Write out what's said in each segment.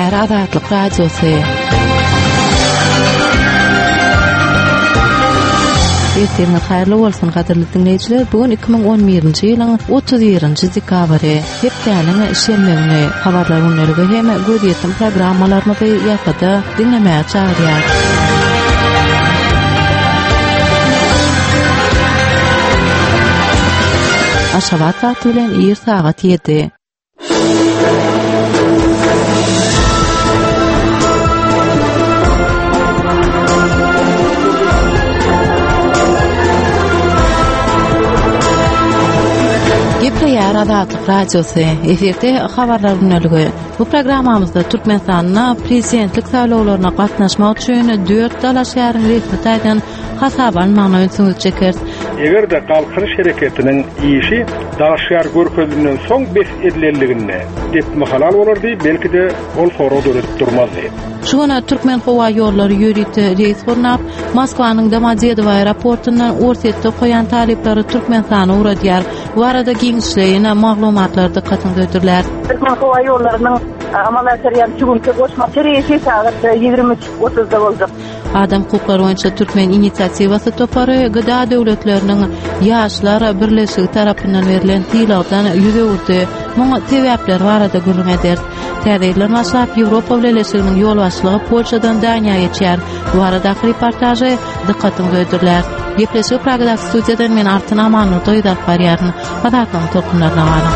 Gepleýär Azatlyk Radiosy. Ertiriňiz haýyrly bolsun, gadyrly diňleýjiler. Bu gün 2011-nji ýylyň 31-nji dekabry, hepdäniň şenbe güni. Habarlar gündeligi hem gözýetim programmalarymyzy ýasada diňlemäge çagyrýar. Aşgabat wagty bilen ir sagat 7. Gepleýär Azatlyk Radiosy. Efirde habarlar gündeligi. Bu programmamyzda Türkmenistanda prezidentlik saýlawlaryna gatnaşmak üçin dört dalaşgäriň resmi taýdan hasaba alynmagyna ünsüňizi çekeris. Eger-de Galkynyş hereketiniň işi dalaşgär görkezilenden soň bes edilenliginde depme halal bolardy, belki-de, ol sorag döredip durmazdy. Şu gün Türkmenhowaýollary ýörite reýs gurnap, Moskwanyň Domodedowo aeroportundan Orsýetde okaýan talyplary Türkmenistana ugradýar. Bu barada giňişleýin maglumatlar dykgatyňyza hödürlär. Türkmenhowaýollarynyň amala aşyrýan şu günki goşmaça reýsi sagat 23, 30-da boljak. Adam hukuklary boýunça Türkmen inisiatiwasy topary GDA döwletleriniň Ýaşlar birleşigi tarapyndan berlen sylagdan ýüz öwürdi. Muň sebäpleri barada gürrüň ederis. Täze ýyldan başlap Ýewropa Bileleşiginiň ýolbaşçylygy Polşadan Daniýa geçýär. Bu baradaky reportažy dykgatyňyza hödürläris. Gepleşigi Pragadaky studiýadan men Altyn Amanmurdyýewa alyp barýaryn. Azatlygyň tolkunlaryna galyň.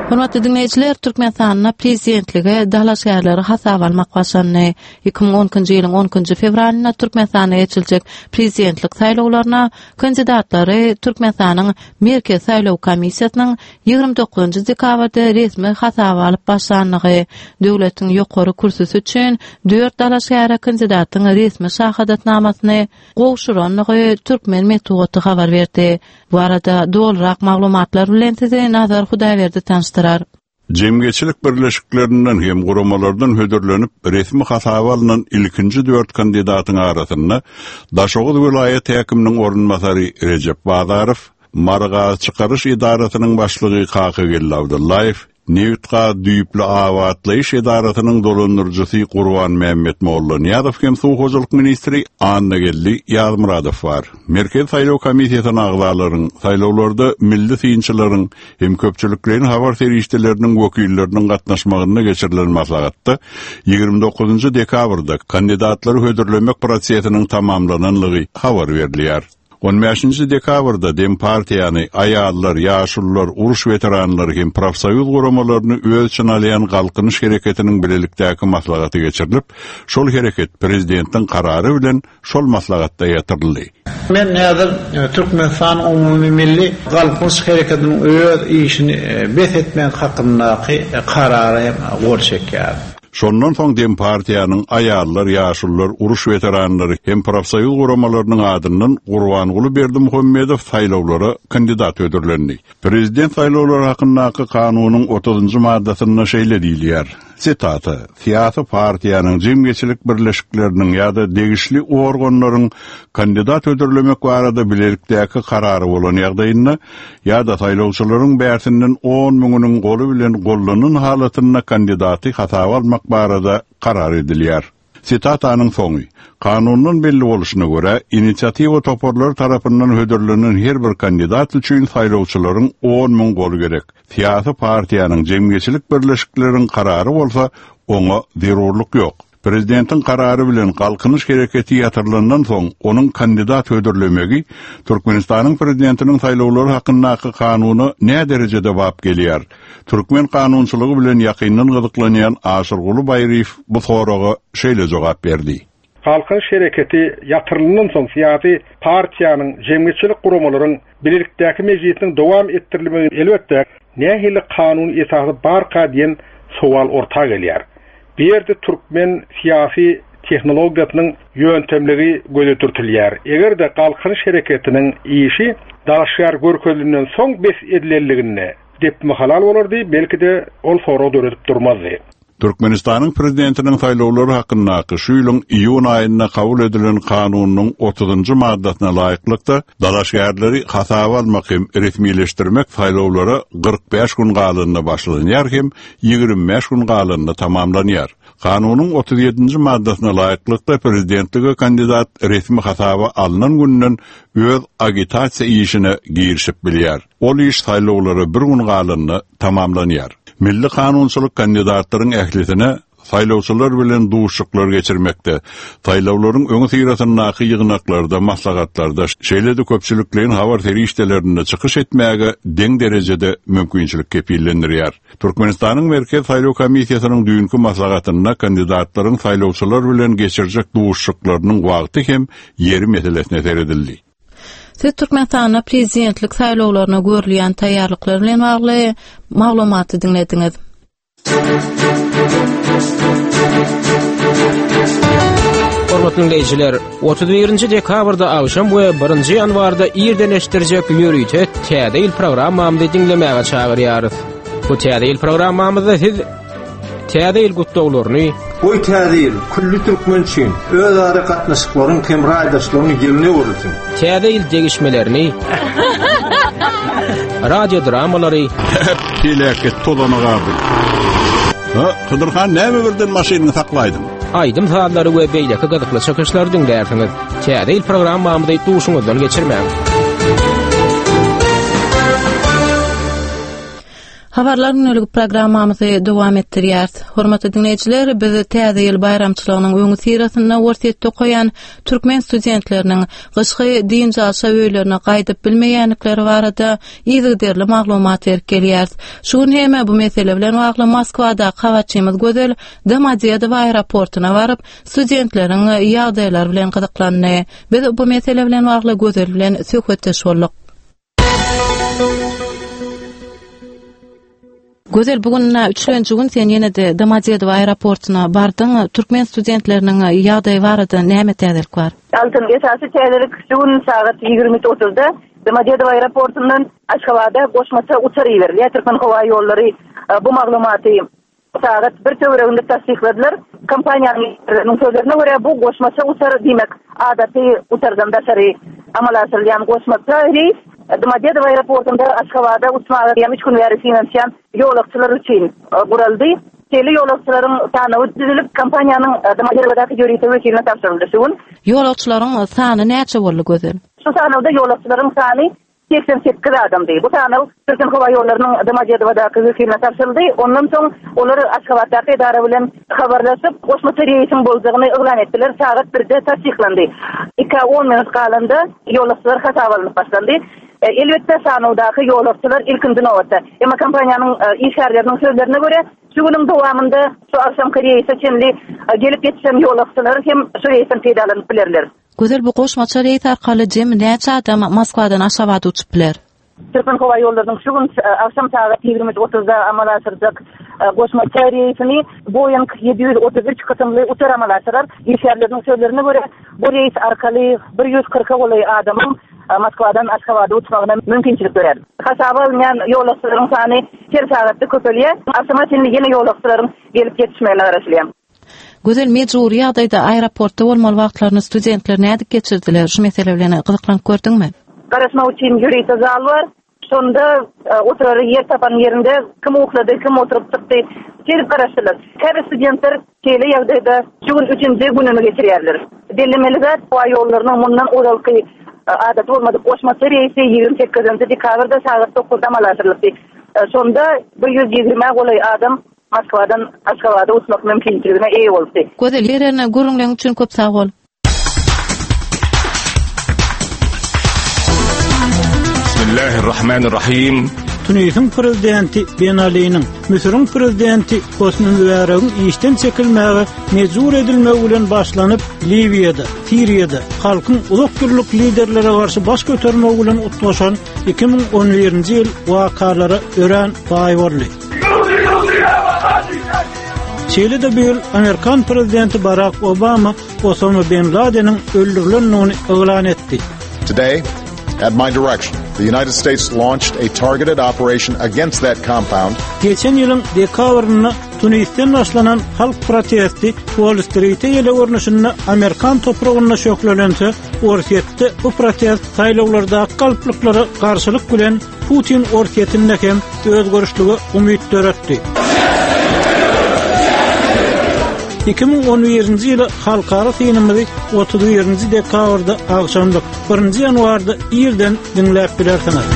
Hormatly diňleýjiler, Türkmenistanda prezidentlige dalaşgärleri hasaba almak başlandy. 2012-nji ýylyň 12-nji fewralynda Türkmenistanda geçiriljek prezidentlik saýlawlaryna kandidatlary Türkmenistanyň Merkezi saýlaw komissiýasynyň 29-njy dekabrda resmi hasaba alyp başlandygy, döwletiň ýokary kürsüsi üçin dört dalaşgäre kandidatyň resmi şahadatnamasyny gowşurandygy türkmen metbugaty habar berdi. Bu barada dolurak maglumatlar bilen sizi Nazar Hudaýberdi tanyşdyrar. Jemgyýetçilik birleşiklerinden hem guramalardan hödürlenip, resmi hasaba alnan ilkinji dört kandidatyň arasynda Daşoguz welaýat häkiminiň orunbasary Rejep Bazarow, Marygazçykaryş edarasynyň başlygy Kakageldi Abdyllaýew, Nebitgaz düýpli abatlaýyş edarasynyň dolandyryjysy Gurbanmämmet Mollanyýazow hem suw hojalyk ministri Annageldi Ýazmyradow bar. Merkezi saýlaw komissiýasyna agzalaryň, saýlawlarda milli synçylaryň hem köpçülikleýin habar serişdeleriniň wekilleriniň gatnaşmagynda geçirilen maslahatda 29 dekabrda kandidatlary hödürlemek prosesiniň tamamlananlygy habar berilýär. On bäşinji dekabrda Dempartiýany, aýallar, ýaşulular, uruş weteranlary hem profsoýuz guramalaryny öz içine alýan Galkynyş hereketiniň bilelikdäki maslahaty geçirilip, şol hereket prezidentiň karary bilen şol maslahatda ýatyryldy. Men häzir Türkmenistan umumymilli Galkynyş hereketiniň öz işini bes etmek hakyndaky karara hem gol çekýärin. Şondan soň Dempartiýanyň aýallar, ýaşulular, uruş weteranlary hem profsoýuz guramalarynyň adyndan Gurbanguly Berdimuhamedow saýlawlara kandidat hödürlendi. Prezident saýlawlary hakyndaky kanunyň otuzynjy maddasynda şeýle diýilýär, sitata, Syýasy partiýanyň, jemgyýetçilik birleşikleriniň ýa-da degişli organlaryň kandidat hödürlemek barada bilelikdäki karary bolan ýagdaýynda, ýa-da saýlawçylaryň bärsinden on müňüniň goly bilen gollanan halatynda kandidaty hasaba almak barada karar edilýär. Sitatanyň soňy. Kanundan belli bolşuna görä, inisiatiwa toparlary tarapyndan hödürlenen her bir kandidat üçin saýlawçylaryň 10 müň goly gerek. Syýasy partiýanyň, jemgyýetçilik birleşikleriň karary bolsa, oňa zerurlyk ýok. Prezidentiň karary bilen Galkynyş hereketi ýatyrylandan soň, onuň kandidat hödürlemegi Türkmenistanyň Prezidentiniň saýlawlary hakyndaky kanuna näderejede bap gelýär? Türkmen kanunçylygy bilen ýakyndan gyzyklanýan Aşyrguly Baýryýew bu soraga şeýle jogap berdi. Galkynyş hereketi ýatyrylandan soň syýasy partiýanyň, jemgyýetçilik guramalaryň bilelikdäki mejlisiniň dowam etdirilmegi elbetde, nähili kanuny esasy barka diýen sowal orta gelýär. Bu ýerde türkmen syýasy tehnologiýasynyň ýöntemligi göze dürtülýär. Eger-de Galkynyş hereketiniň işi dalaşgär görkezilenden soň bes edilenliginde depme halal bolardy, belki-de, ol sorag döredip durmazdy. Türkmenistanyň Prezidentiniň saýlawlary hakyndaky şu ýylyň iýun aýynda kabul edilen Kanunynyň otuzynjy maddasyna laýyklykda, dalaşgärleri hasaba almak hem resmileşdirmek saýlawlara 45 gün galanda başlanýar hem 25 gün galanda tamamlanýar. Kanunyň 37-nji maddasyna laýyklykda, prezidentlige kandidat resmi hasaba alnan günden öz agitasiýa işine girişip bilýär. Ol iş saýlawlara bir gün galanda tamamlanýar. Milli kanunçylyk kandidatlaryň ählisine saýlawçylar bilen duşuşyklar geçirmekde, saýlawlaryň öňüsyrasyndaky ýygnaklarda, maslahatlarda, şeýle-de köpçülikleýin habar serişdelerinde çykyş etmäge deň derejede mümkinçilik kepillendirýär. Türkmenistanyň Merkezi saýlaw komissiýasynyň düýnki maslahatynda kandidatlaryň saýlawçylar bilen geçirjek duşuşyklarynyň wagty hem ýeri meselesine seredildi. Siz Türkmenistanda prezidentlik saýlawlaryna görülýän taýýarlyklar bilen bagly maglumaty diňlediňiz. Hormatly diňleýjiler, 31-nji dekabrda agşam we 1-nji ýanwarda irden eşitdirjek ýörite Täze ýyl programmamyzy diňlemäge çagyrýarys. Bu Täze ýyl programmamyzda siz Täze ýyl gutlaglaryny, Goý Täze ýyl külli türkmen üçin özara gatnaşyklaryň hem raýdaşlygyň ýylyna öwrülsin! Täze ýyl degişmelerini, radio dramalary, Peläket tozana galdy. Ha, Hydyr han näme birden maşynyňy saklaýdyň? Aýdym-sazlary we beýleki gyzykly çykyşlary diňlärsiňiz. Täze ýyl programmamyzy duşuňyzdan geçirmäň! Habarlar gündelik programmamyzy dowam etdirýäris. Hormatly diňleýjiler, biz Täze ýyl baýramçylygynyň öňüsyrasynda Orsýetde okaýan türkmen studentleriniň gyşky dynç alşa öýlerine gaýdyp bilmeýändikleri barada yzygiderli maglumat berip gelýäris. Şu gün hem bu mesele bilen bagly Moskwadaky habarçymyz Gözel Domodedowa aeroportuna baryp, studentleriň ýagdaýlary bilen gyzyklandy. Biz bu mesele bilen bagly Gözel bilen söhbetdeş bolduk. Gözel, bu gün üçlenji gün sen ýene-de Domodedowo aeroportuna bardyň. Türkmen studentleriniň ýagdaýy barada näme täzelik bar? Altyn, esasy täzelik şu gün sagat 23 otuzda Domodedowo aeroportundan Aşgabada goşmaça uçar iberilýär. Türkmenhowaýollary bu maglumaty Sagat bir töwereginde tassykladylar. Kompaniýanyň işgärleriniň sözlerine görä, bu goşmaça uçar, diýmek, adaty uçardan daşary amala aşyrylýan goşmaça reýs Domodedowo aeroportunda Aşgabada uçmaga eýýäm üç gün bäri synanyşýan ýolagçylar üçin guraldy. Şeýle ýolagçylaryň sanawy düzülip, kompaniýanyň Domodedowodaky ýörite wekiline tabşyryldy şu gün. Ýolagçylaryň sany näçe boldy, Gözel? Şu sanawda ýolagçylaryň sany 88 adamdy. Bu sanaw Türkmenhowaýollarynyň Domodedowodaky wekiline tabşyryldy. Ondan soň olar Aşgabatdaky edara bilen habarlaşyp, goşmaça reýsiň boljagyny yglan etdiler. Sagat birde tassyklandy. Ikä on minut galanda ýolagçylar hasaba alnyp başlandy. Elbetde, sanawdaky ýolagçylar ilkinji nobatda. Emma kompaniýanyň işgärleriniň sözlerine görä, şu günüň dowamynda şu agşamky reýse çenli gelip ýetişen ýolagçylar hem şu reýsden peýdalanyp bilerler. Gözel bu goşmaça reýs arkaly jemi näçe adam Moskwadan Aşgabada uçup biler? Türkmenhowaýollarynyň şu gün agşam sagat 23 otuzda amala aşyrjak goşmaça reýsini Boeing 733 kysymly uçar amala aşyrar. Işgärleriniň sözlerine görä, bu reýs arkaly 140-a golaý adamyň Moskwadan Aşgabada uçmagyna mümkinçilik dörär. Hasaba alynýan ýolagçylaryň sany her sagatda köpelýär. Agşama çenli ýene ýolagçylaryň gelip ýetişmegine garaşylýar. Gözel mejbury ýagdaýda aeroportda bolmaly wagtlaryny studentler nädip geçirdiler? Şu mesele bilen gyzyklanyp gördüňmi? Garaşmak üçin ýörite zal bar. Şonda e, oturara ýer tapan ýerinde kim uklady, kim oturyp çykdy. Şeýdip garaşdylar. Käbir studentler şeýle ýagdaýda şu gün üçünji gününi geçirýärler. Bellemeli zat, howa ýollarynyň mundan ozalky e, adaty bolmadyk goşmaça reýsi 28-nji dekabrda sagat 9-da amala aşyrylypdy. E, şonda 120-ä golaý adam Moskwadan Aşgabada uçmak mümkinçiligine eýe bolupdy. Gözel, beren gürrüňleriň üçin köp sag bol. Bismillahirrahmanirrahim. Tunisiň prezidenti Ben Aliniň, Müsüriň prezidenti Hosni Mübäregiň işden çekilmäge mejbur edilmegi bilen başlanyp, Liwiýada, Siriýada halkyň uzak ýyllyk liderlere garşy baş götermegi bilen utgaşan 2011-nji ýyl wakalara örän baý boldy. Şeýle-de bu ýyl amerikan prezidenti Barak Obama Osama bin Ladeniň öldürilendigini yglan etdi. Today, at my direction, the United States launched a targeted operation against that compound. Geçen ýylyň dekabrynda Tunisden başlanan halk protesti Uoll-Strite ýeli görnüşinde amerikan topragynda şöhlelense, Orsýetde bu protest saýlawlardaky galplyklara garşylyk bilen Putin Orsýetinde hem özgerişlige umyt döretdi. 2011-nji ýyla halkara synymyzy 31-nji dekabrda agşamlyk, 1-nji ýanwarda irden diňläp bilersiňiz.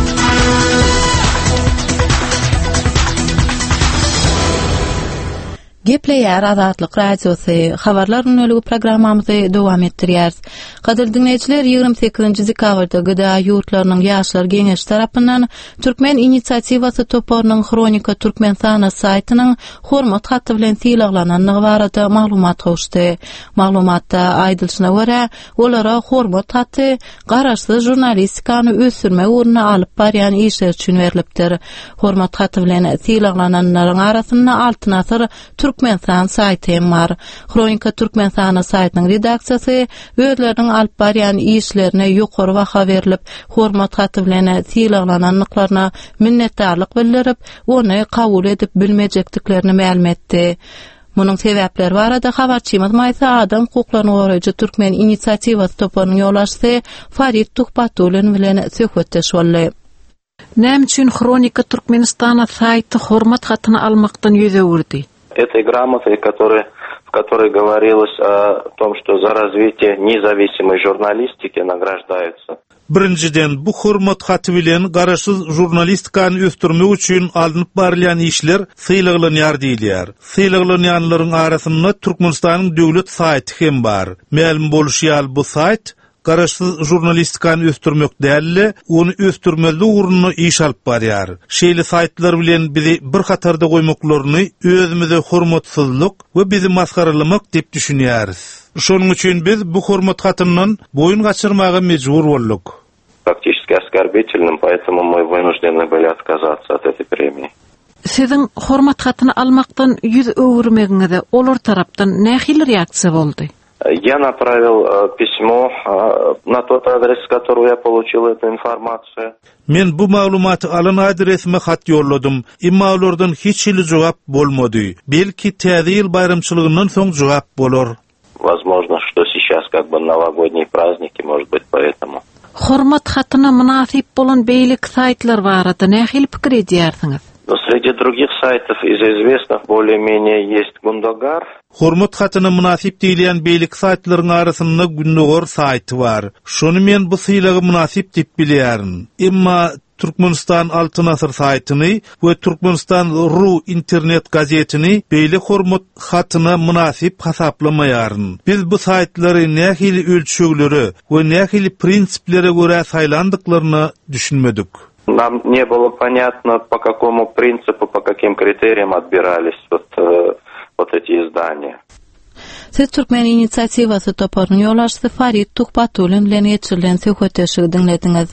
Gepleýär Azatlyk Radiosy, Habarlar gündeligi programmamyzy dowam etdirýäris. Gadyrly diňleýjiler, 28-nji dekabrda GDA ýurtlarynyň Ýaşlar Geňeşi tarapyndan Türkmen inisiatiwasy toparynyň Hronika Türkmenistana saýtynyň hormat haty bilen sylaglanandygy barada maglumat gowuşdy. Maglumatda aýdylyşyna görä, olara hormat haty garaşsyz žurnalistikany ösdürmek ugrunda alyp barýan işleri üçin berlipdir. Hormat haty bilen sylaglananlaryň arasynda Altyn asyr Türkmenistan saýty hem bar. Hronika Türkmenistana saýtynyň redaksiýasy özleriniň alyp barýan işlerine ýokary baha berlip, hormat haty bilen sylaglanandyklaryna minnetdarlyk bildirip, ony kabul edip bilmejekdiklerini mälim etdi. Munuň sebäpleri barada habarçymyz Maýsa adam hukuklaryny goraýjy Türkmen inisiatiwasy toparynyň ýolbaşçysy Farid Tuhbatullin bilen söhbetdeş boldy. Näme üçin Hronika Türkmenistana saýty hormat hatyny almakdan ýüz öwürdi? Этой грамотой, которая, в которой говорилось о том, что за развитие независимой журналистики награждаются. Birinjiden, bu hormat haty bilen garaşsyz žurnalistikany ösdürmek üçin alnyp barylýan işler sylaglanýar diýilýär. Sylaglanýanlaryň arasynda Türkmenistanyň döwlet saýty hem bar. Mälim bolşy ýaly, bu saýt Garaşsyz žurnalistikany ösdürmek däl-de, ony ösdürmezlik ugrunda iş alyp barýar. Şeýle saýtlar bilen bizi bir hatarda goýmaklaryny özümize hormatsyzlyk we bizi masgaralamak diýip düşünýäris. Şonuň üçin biz bu hormat hatyndan boýun gaçyrmaga mejbur bolduk. Фактически оскорбительным, поэтому мы вынуждены были отказаться от этой премии. Siziň hormat hatyny almakdan ýüz öwürmegiňize olar tarapdan nähili reaksiýa boldy? Я направил pismo na tot adres, s которого я получил эту informaciýu. Men bu maglumaty alan adresime hat ýolladym, emma olardan hiç hili jogap bolmady. Belki, Täze ýyl baýramçylygyndan soň jogap bolar. Возможно, что сейчас как бы новогодние праздники, может быть, поэтому. Hormat hatyna mynasyp bolan beýleki saýtlar barada nähili pikir edýärsiňiz? Но среди других сайтов из известных более-менее есть Gundogar. Hormat hatyna mynasyp diýilýän beýleki saýtlaryň arasynda Gündogar saýty bar. Şony men bu sylaga mynasyp diýip bilýärin. Emma Türkmenistan Altyn asyr saýtyny we Türkmenistan ru internet gazetini beýle hormat hatyna mynasyp hasaplamaýaryn. Biz bu saýtlary nähili ölçeglere we nähili prinsiplere görä saýlandyklaryna düşünmedik. Nam ne bylo ponýatno po kakomu prinsipu, po kakim kriteriýam otbiralis wot wot eti izdaniýa. Siz Türkmen inisiatiwasy toparynyň ýolbaşçysy Farid Tuhbatullin bilen geçirilen söhbetdeşligi diňlediňiz.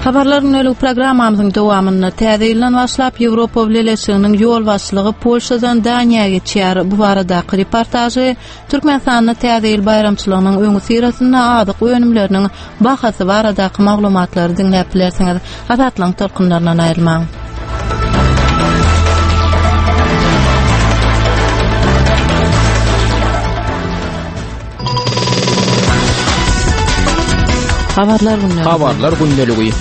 Habarlar gündelik programmamyzyň dowamynda täze ýyldan başlap Ýewropa Bileleşiginiň ýolbaşçylygy Polşadan Daniýa geçýär. Bu baradaky reportažy Türkmenistanda Täze ýyl baýramçylygynyň öňüsyrasynda azyk önümleriniň bahasy baradaky maglumatlary diňläp bilersiňiz. Azatlygyň tolkunlaryndan aýrylmaň. Habarlar gündeligi. Habarlar gündeligi.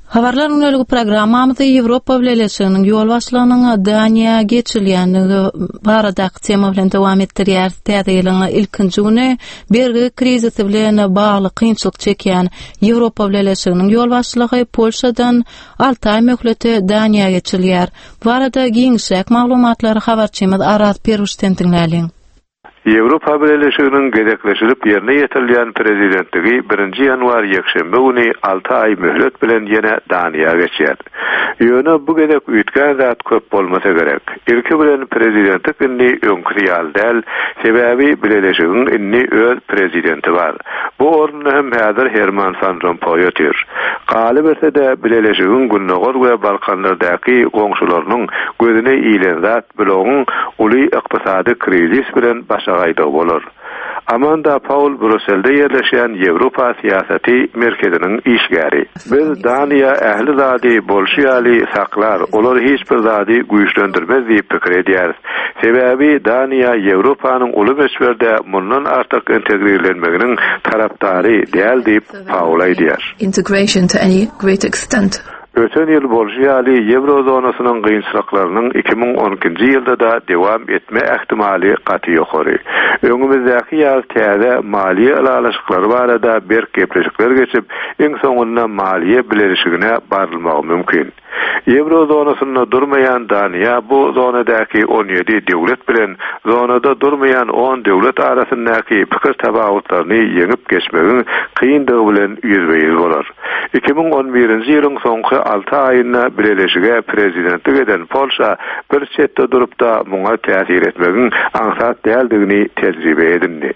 Habarlar gündeligi programmamyzy Ýewropa Bileleşiginiň ýolbaşçylygynyň Daniýa geçirilýändigi baradaky tema bilen dowam etdirýäris. Täze ýylyň ilkinji güni bergi krizisi bilen bagly kynçylyk çekýän Ýewropa Bileleşiginiň ýolbaşçylygy Polşadan alty aý möhlete Daniýa geçirilýär. Bu barada giňişräk maglumatlary habarçymyz Araz Perwişden diňläliň. Ýewropa Bileleşiginiň gezekleşilip ýerine ýetirilýän prezidentligi birinji ýanwar ýekşenbe güni alty aý möhlet bilen ýene Daniýa geçýär. Ýöne bu gezek üýtgän zat köp bolmasa gerek. Ilki bilen prezidentlik indi öňküsi ýaly däl, sebäbi bileleşigiň indi öz prezidenti bar. Bu orunda hem häzir Herman Fan Rompoý otyr. Galyberse-de, bileleşigiň Gündogar we Balkanlardaky goňşularynyň gözüne ilen zat blogyň uly ykdysady krizis bilen başagaýdygy bolar. Amanda Paul Brýusselde ýerleşýän Ýewropa syýasaty merkeziniň işgäri. Biz Daniýa ähli zady bolşy ýaly saklar, olar hiç bir zady güýçlendirmez diýip pikir edýäris. Sebäbi Daniýa Ýewropanyň uly möçberde mundan artyk integrirlenmeginiň tarapdary däl diýip, Paul aýdýar. Integration to any great extent. Öten ýyl bolşy ýaly, ýewro zonasynyň kynçylyklarynyň 2012-nji ýylda-da dowam etme ähtimaly gaty ýokary. Öňümizdäki ýaz täze maliýe ylalaşyklary barada berk gepleşikler geçip, iň soňunda maliýe bileleşigine barylmagy mümkin. Ýewro zonasynda durmaýan Daniýa bu zonadaky 17 döwlet bilen zonada durmaýan on döwlet arasyndaky pikir tapawutlaryny ýeňip geçmegiň kyndygy bilen ýüzbe-ýüz bolar. 2011-nji ýylyň soňky alty aýynda bileleşige prezidentlik eden Polşa bir çetde durup-da muňa täsir etmegiň aňsat däldigini tejribe edindi.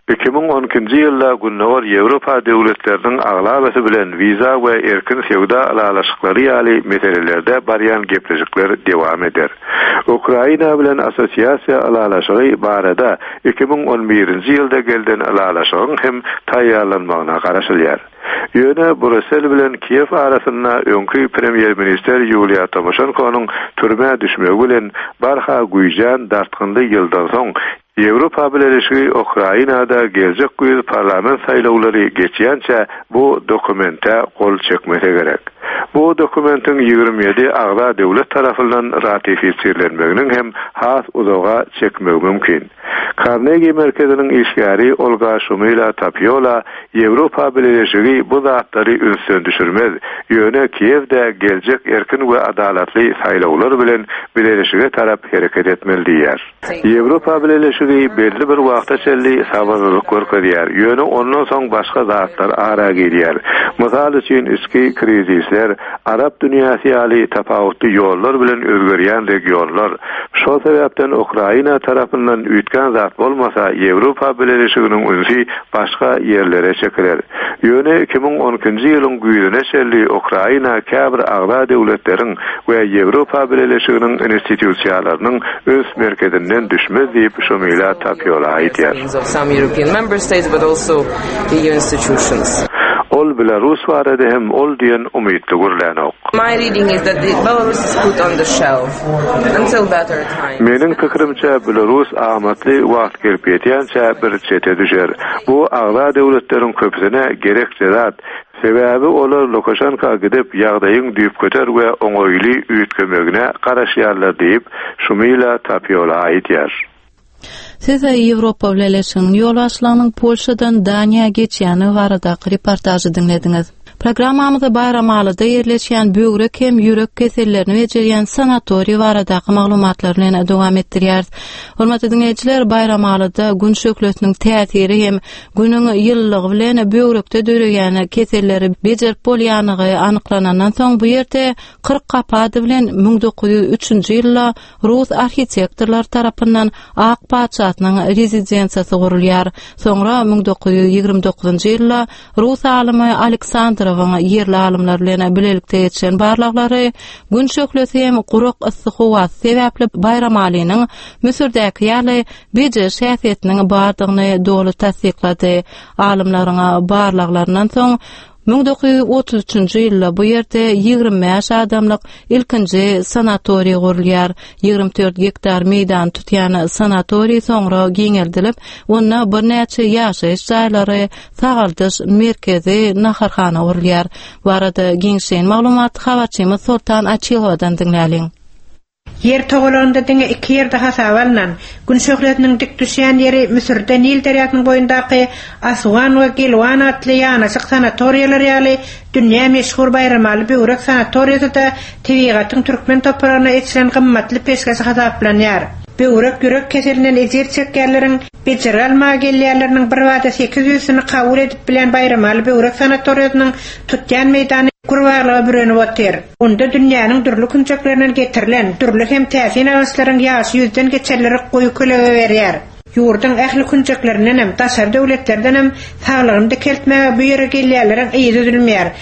2012-nji ýylda Gündogar Ýewropa döwletleriniň aglabasy bilen wiza we erkin söwda ylalaşyklary ýaly meselelerde barýan gepleşikler dowam eder. Ukraina bilen Assosiasiýa ylalaşygy barada 2011-nji ýylda gelden ylalaşygyň hem taýýarlanmagyna garaşylýar. Ýöne Brýussel bilen Kiýew arasynda öňki premýer-ministr Ýuliýa Tomoşenkonyň türmä düşmegi bilen barha güýjän dartgynly ýyldan soň Ýewropa Bileleşigi Ukrainada geljek güýz parlament saýlawlary geçýänçä bu dokumente gol çekmese gerek. Bu dokumentiň 27 agza döwlet tarapyndan ratifisirlenmeginiň hem has uzaga çekmegi mümkin. Karnegi merkeziniň işgäri Olga Şumila Tapiola Ýewropa Bileleşigi bu zatlary ünsden düşürmez, ýöne Kiýewde geljek erkin we adalatly saýlawlar bilen bileleşige tarap hereket etmeli diýýär. Ýewropa Bileleşigi belli bir wagta çenli sabyrlylyk görkezýär, ýöne ondan soň başga zatlar ara girýär. Mysal üçin, içki krizisler, arap dünýäsi ýaly tapawutly ýollar bilen özgerýän regionlar. Şol sebäpden Ukraina tarapyndan üýtgän zat bolmasa, Ýewropa Bileleşiginiň ünsi başga ýerlere çekiler. Ýöne 2012-nji ýylyň güýzüne çenli Ukraina käbir agza döwletleriň we Ýewropa Bileleşiginiň institusiýalarynyň üns merkezinden düşmez diýip, Şumila Tapiola aýdýar. Ol Belarus barada hem ol diýen umytly gürlänok. Meniň pikirimçe, Belarus amatly wagt gelip ýetýänçä bir çete düşer. Bu agza döwletleriň köpüsine gerekje zat. Sebäbi olar Lukaşenka gidip, ýagdaýyň düýpgöter we oňaýly üýtgemegine garaşýarlar diýip, Şumila Tapiola aýdýar. Siz Ýewropa Bileleşiginiň ýolbaşçylygynyň Polşadan Daniýa geçýändigi baradaky reportažy diňlediňiz. Programmamyzda Baýramalyda ýerleşýän böwrek hem ýürek kesellerini bejerýän sanatoriý baradaky maglumatlar bilen dowam etdirýäris. Hormatly diňleýjiler, Baýramalyda Gün şöhlesiniň täsiri hem Günüň ýylylygy bilen böwrekde döreýän keselleri bejerip bolýanlygy anyklanandan soň bu ýerde 40 gapy ady bilen 1903-nji ýylda rus arhitektorlary tarapyndan Ak patyşasynyň rezidensiýasy gurulýar. Soňra 1929-njy ýylda rus alymy Aleksandrowyň ýerli alymlar bilen bilelikde geçiren barlaglary Gün şöhlesi hem gurak yssy howasy sebäpli Baýramalynyň Müsürdäki ýaly bejeriş häsiýetiniň bardygyny doly tassyklady. Alymlaryň barlaglaryndan soň 1933-nji ýylda bu ýerde 25 adamlyk ilkinji sanatoriý gurulýar. 24 gektar meýdany tutýan sanatoriý soňra giňeldilip, onda birnäçe ýaşaýyş jaýlary, sagaldyş merkezi, naharhana gurulýar. Bu barada giňişleýin maglumaty habarçymyz Soltan Açylowadan diňläliň. Ýer togalagynda diňe iki ýerde hasaba alnan, Gün şöhlesiniň dik düşýän ýeri Müsürde Nil derýasynyň boýundaky Asuan we Gelwan atly ýanaşyk sanatoriýalar ýaly dünýä meşhur Baýramaly böwrek sanatoriýasy-da tebigatyň türkmen topragyna eçilen gymmatly peşgeşi hasaplanýar. Böwrek ýürek keselinden ejir çekýänleriň bejergi almaga gelýänleriniň birbada sekiz ýüzüsini kabul edip bilýän Baýramaly böwrek sanatoriýasynyň tutýan meýdany. Gür baglyga bürenip otyr. Onda dünýäniň dürli künjeklerinden getirilen dürli hem täsin agaçlaryň ýaşy ýüzden geçenleri goýy kölege berýär. Ýurduň ähli künjeklerindenem, daşary döwletlerdenem saglygyny dikeltmäge bu ýere gelýänleriň yzy üzülmeýär.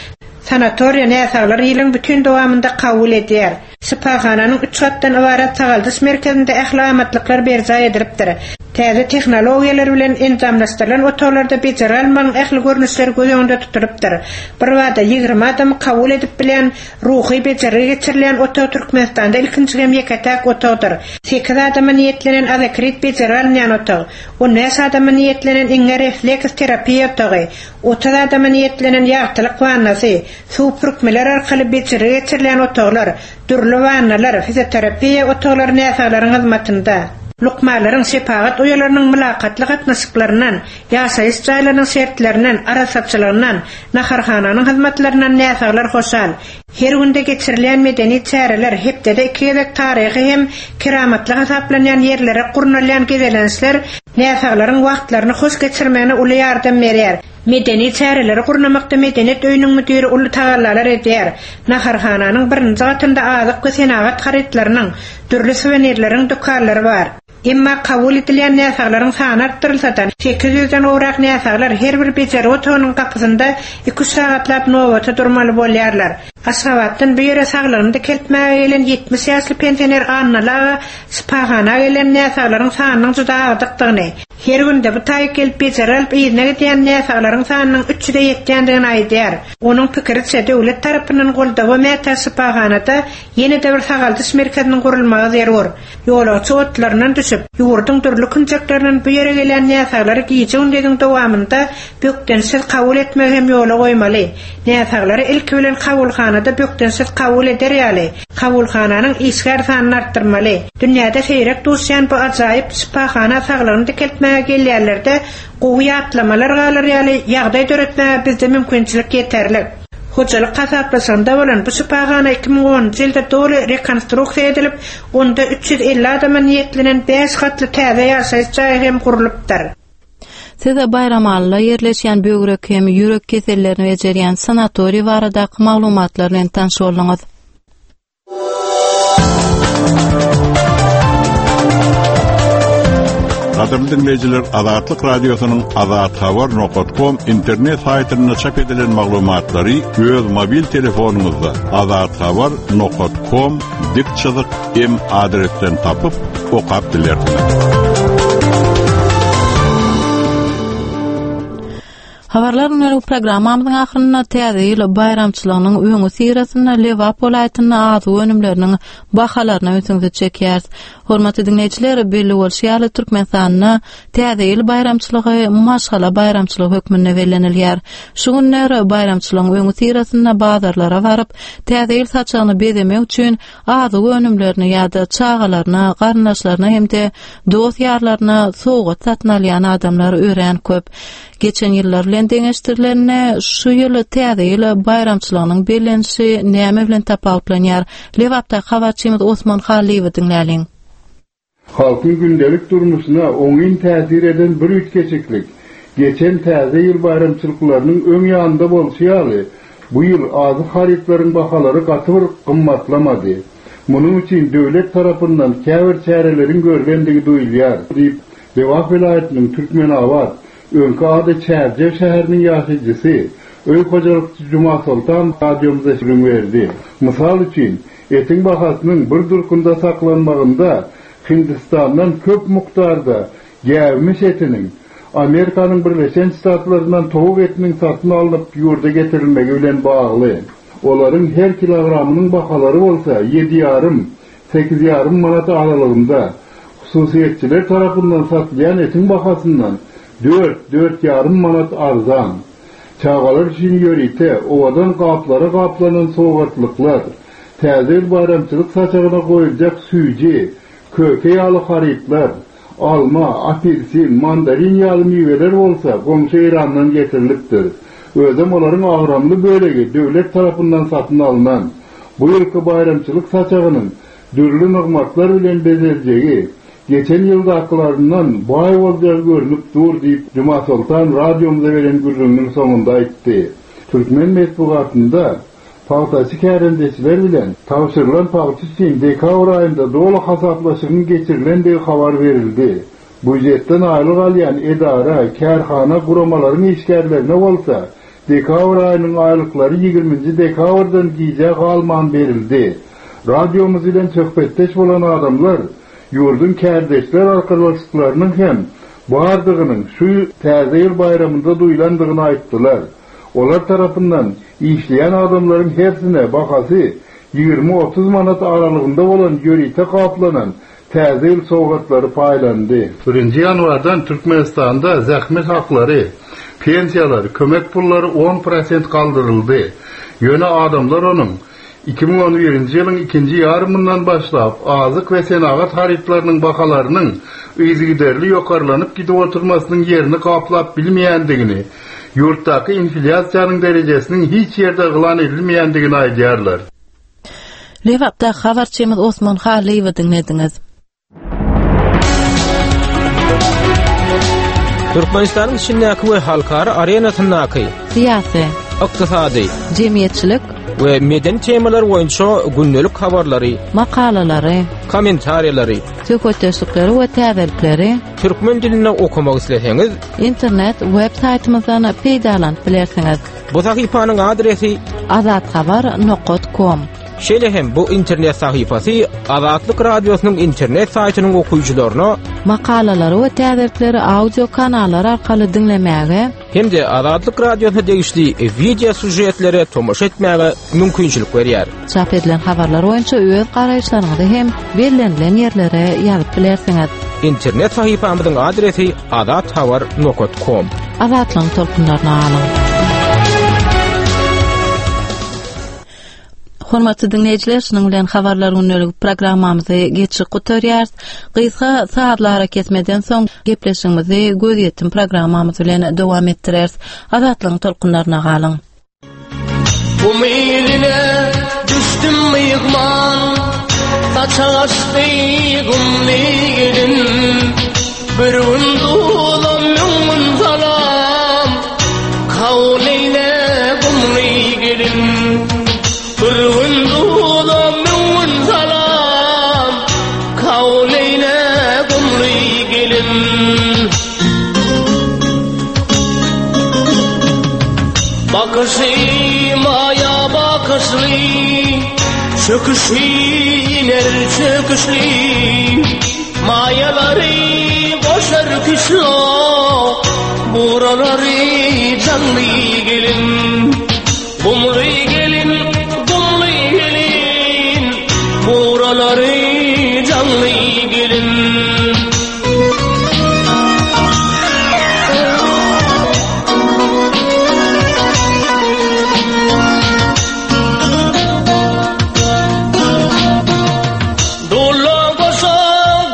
Sanatoriýa näsaglary ýylyň bütin dowamynda kabul edýär. Şypahananyň üç gatdan ybarat sagaldyş merkezinde ähli amatlyklar berjaý edilipdir. Täze tehnologiýalar bilen enjamlaşdyrylan otaglarda bejergi almagyň ähli görnüşleri göz öňünde tutulypdyr. Birbada 20 adamy kabul edip bilýän ruhy bejergi geçirilýän otag Türkmenistanda ilkinji hem ýeke-täk otagdyr. Sekiz adama niýetlenen azekrit bejergi alynýan otag, 15 adama niýetlenen iňňe refleks terapiýa otagy, 30 adama niýetlenen ýagtylyk wannasy, Suw pürkmeler arkaly bejergi geçirilýän otaglar, dürli wannalar, fizioterapiýa otaglary näsaglaryň hyzmatynda. Lukmanlaryň, şepagat uýalarynyň mylakatly gatnaşyklaryndan, ýaşaýyş jaýlarynyň şertlerinden, arassaçylygyndan, naharhananyň hyzmatlaryndan näsaglar hoşal. Her günde geçirilýän medeni çäreler, hepdede iki gezek taryhy hem keramatly hasaplanýan ýerlere gurnalýan gezelençler näsaglaryň wagtlaryny hoş geçirmegine uly ýardam berýär. Medeni çäreleri gurnamakda medeniýet öýüniň müdiri uly tagallalar edýär. Naharhananyň birinji gatynda azyk we senagat harytlarynyň, dürli suwenirleriň dükanlary bar. Emma kabul edilýän näsaglaryň sany artdyrylsa-da, 800-den gowrak näsaglar her bir bejergi otagynyň gapysynda iki-üç sagatlap nobata durmaly bolýarlar. Aşgabatdan bu ýere saglygyny dikeltmäge gelen 70 ýaşly pensioner Annaly aga şypahana gelen näsaglaryň sanynyň juda agdykdygyny, Her günde bu taýy gelip bejergi alyp yzyna gidýän näsaglaryň sanynyň 300-e ýetýändigini aýdýar. Onuň pikiriçe, döwlet tarapyndan goldawa mätäç şypahanada ýene-de bir sagaldyş merkeziniň gurulmagy zerur. Ýolagçy otlaryndan düşüp, ýurduň dürli künjeklerinden bu ýere gelýän näsaglary gije-gündiziň dowamynda bökdençsiz kabul etmegi hem ýola goýmaly. Näsaglary ilki bilen kabulhanada bökdençsiz kabul eder ýaly, kabulhananyň işgär sanyny artdyrmaly. Dünýäde seýrek duşýan bu ajaýyp şypahana saglygyny dikeltmäge gelýänlerde gowy ýatlamalar galar ýaly ýagdaý döretmäge bizde mümkinçilik ýeterlik. Hojalyk hasaplaşygynda bolan bu şypahana 2010-njy ýylda doly rekonstruksiýa edilip, onda 350 adama niýetlenen bäş gatly täze ýaşaýyş jaýy hem gurlupdyr. Siz Baýramalyda ýerleşýän böwrek hem ýürek kesellerini bejerýän sanatoriý baradaky maglumatlar bilen tanyş bolduňyz. Gadyrly diňleýjiler, Azatlyk Radiosynyň Azathabar nokat kom internet saýtynda çap edilen maglumatlary öz mobil telefonyňyzda Azathabar nokat kom dik çyzyk M adresden tapyp, okap bilersiňiz. Habarlar gündelik programmamyzyň ahyrynda Täze ýyl baýramçylygynyň öňüsyrasynda Lebap welaýatynda azyk önümleriniň bahalaryna ünsüňizi çekýäris. Hormatly diňleýjiler, belli bolşy ýaly, Türkmenistanda Täze ýyl baýramçylygy maşgala baýramçylygy hökmünde bellenilýär. Şu günler baýramçylygyň öňüsyrasynda bazarlara baryp, Täze ýyl saçagyny bezemek üçin azyk önümlerini ýa-da çagalaryna, garyndaşlaryna hem-de dost-ýarlaryna sowgat satyn alýan adamlar örän köp. Geçen ýyllar bilen deňeşdirilende, şu ýyl Täze ýyl baýramçylygynyň bellenişi näme bilen tapawutlanýar? Lebapdaky habarçymyz Osman Hallyýewi diňläliň. Halkyň gündelik durmuşyna oňyn täsir eden bir üýtgeşiklik, geçen Täze ýyl baýramçylyklarynyň öň ýanynda bolşy ýaly, bu ýyl azyk harytlaryň bahalary gaty bir gymmatlamady. Munuň üçin döwlet tarapyndan käbir çäreleriň görlendigi duýulýar, diýip, Lebap welaýatynyň Türkmenabat, öňki ady Çärjew şäheriniň ýaşaýjysy, öý hojalykçy Jumasoltan radiomyza gürrüň berdi. Mysal üçin, Etiň bahasynyň bir durkunda saklanmagynda Hindistandan köp mukdarda gäwmiş etiniň, Amerikanyň Birleşen Ştatlaryndan towuk etiniň satyn alnyp ýurda getirilmegi bilen bagly. Olaryň her kilogramynyň bahalary bolsa ýedi ýarym, sekiz ýarym manat aralygynda. Hususyýetçiler tarapyndan satylýan etiň bahasyndan dört, dört ýarym manat arzan. Çagalar üçin ýörite, owadan gaplara gaplanan sowgatlyklar, Täze ýyl baýramçylyk saçagyna goýuljak süýji, köke ýaly harytlar, alma, apelsin, mandarin ýaly miweler bolsa goňşy Eýrandan getirilipdir. Özem olaryň agramly bölegi döwlet tarapyndan satyn alnan. Bu ýylky baýramçylyk saçagynyň dürli nygmatlar bilen bezeljegi, geçen ýyldakylaryndan baý boljagy görnüp dur diýip, Jumasoltan radiomyza beren gürrüňiniň soňunda aýtdy. Türkmen metbugatynda. Pagtaçy kärendeçiler bilen tabşyrylan pagta üçin dekabr aýynda doly hasaplaşygyň geçirilendigi habar berildi. Býujetden aýlyk alýan edara, kärhana, guramalaryň işgärlerine bolsa dekabr aýynyň aýlyklary ýigriminji dekabrdan gijä galman berildi. Radiomyz bilen söhbetdeş bolan adamlar ýurduň kärdeşler arkalaşyklarynyň hem bardygynyň şu Täze ýyl baýramynda duýlandygyny aýtdylar. Olar tarapyndan işleýän adamlaryň hersine bahasy 20-30 manat aralygynda bolan ýörite gaplanan Täze ýyl sowgatlary paýlandy. Birinji ýanwardan Türkmenistanda zähmet haklary, pensiýalar, kömek pullary on prosent galdyryldy. Ýöne adamlar onuň 2011-nji ýylyň ikinji ýarymyndan başlap azyk we senagat harytlarynyň bahalarynyň yzygiderli ýokarlanyp gidip oturmasynyň ýerini gaplap bilmeýändigini, ýurtdaky inflýasiýanyň derejesiniň hiç ýerde yglan edilmeýändigini aýdýarlar. Lebapdaky habarçymyz Osman Hallyýewi diňlediňiz. Türkmenistanyň içindäki we halkara arenasyndaky syýasy, ykdysady, jemgyýetçilik we medeni temalar boýunça gündelik habarlary, makalalary, kommentariýalary, söhbetdeşlikleri we täzelikleri türkmen dilinde okamak isleseňiz, internet web saýtymyzdan peýdalanyp bilersiňiz. Bu sahypanyň adresi azathabar nokat kom. Şeýle hem bu internet sahypasy Azatlyk Radiosynyň internet saýtynyň okyjylaryna makalalary we täzelikleri audio kanallar arkaly diňlemäge hem-de Azatlyk Radiosyna degişli wideo sýužetlere tomaşa etmäge mümkinçilik berýär. Çap edilen habarlar boýunça öz garaýyşlaryňyzy hem bellenilen ýerlere ýazyp bilersiňiz. Internet sahypamyzyň adresi azathabar nokat kom. Azatlygyň tolkunlaryna galyň. Hormatly diňleýjiler, şunuň bilen habarlar gündelik programmamyzy geçip gutarýarys. Gysga sazly arakesmeden soň gepleşigimizi gözýetim programmamyz bilen dowam etdireris. Azatlygyň tolkunlaryna galyň. Gum iline düşdüm myhman Saçak açdy gumly gelin Bir gün duzam müň gün salam Kabul eýle gumly gelin Bir gün duzam müň gün salam Kabul eýle gumly gelin Bakyşy maýa bakyşly, Çöküşi iner çöküşli, Maýalary goşar küşlo, Buralary janly gelin. Gumly gelin, gumly gelin, Buralary janly gelin. Dula goşa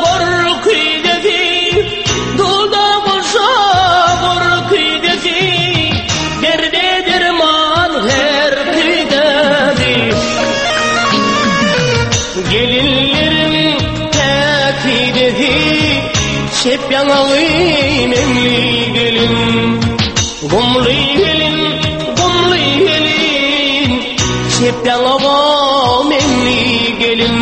gorky dedi, Dula goşa gorky dedi, Derde derman her küydedi. Gelinlerin täkidesi, Çep ýaňagy meňli gelin. Gumly gelin, gumly gelin, Çep ýaňagy meňli gelin.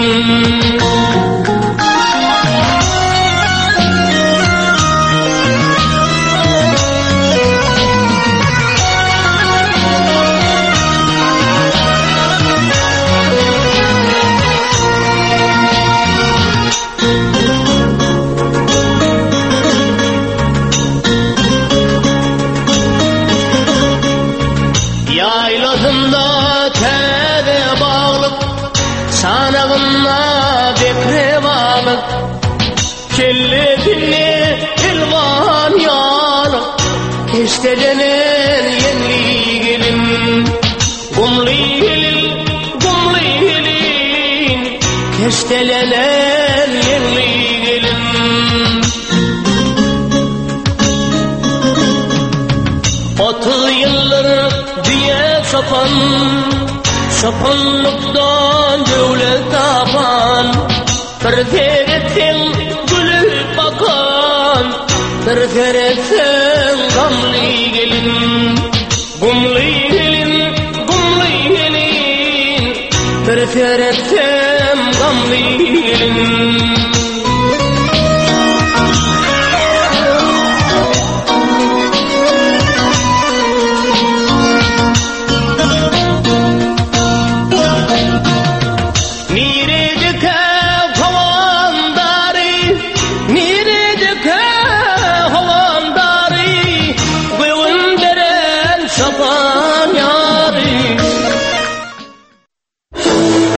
Ýaýlasynda täze baglyk, Çanagynda bekre balyk, Kellesinde elwan ýalyk, Keşdelenen ýeňli gelin. Gumly gelin, gumly gelin, Keşdelenen ýeňli gelin. 30 ýyldyr düýe çopan, Çopanlykdan döwlet tapan, Bir seretseň gülüp bakan, Bir seretseň gamly gelin. Gumly gelin, gumly gelin. Bir seretsem gamly ilim.